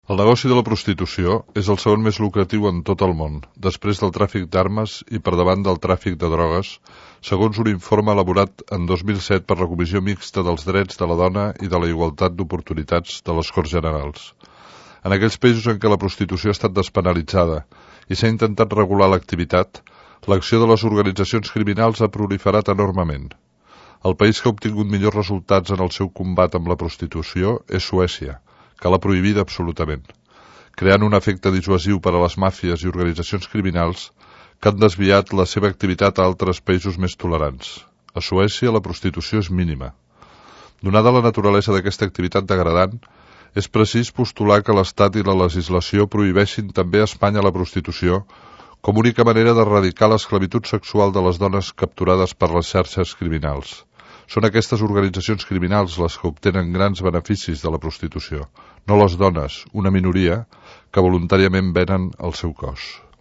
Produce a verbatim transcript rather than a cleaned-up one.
El negoci de la prostitució és el segon més lucratiu en tot el món, després del tràfic d'armes i per davant del tràfic de drogues, segons un informe elaborat en dos mil set per la Comissió Mixta dels Drets de la Dona i de la Igualtat d'Oportunitats de les Corts Generals. En aquells països en què la prostitució ha estat despenalitzada i s'ha intentat regular l'activitat, l'acció de les organitzacions criminals ha proliferat enormement. El país que ha obtingut millors resultats en el seu combat amb la prostitució és Suècia, que l'ha prohibida absolutament, creant un efecte dissuasiu per a les màfies i organitzacions criminals que han desviat la seva activitat a altres països més tolerants. A Suècia la prostitució és mínima. Donada la naturalesa d'aquesta activitat degradant, és precís postular que l'Estat i la legislació prohibeixin també a Espanya la prostitució com única manera d'erradicar l'esclavitud sexual de les dones capturades per les xarxes criminals. Són aquestes organitzacions criminals les que obtenen grans beneficis de la prostitució, no les dones, una minoria, que voluntàriament venen el seu cos.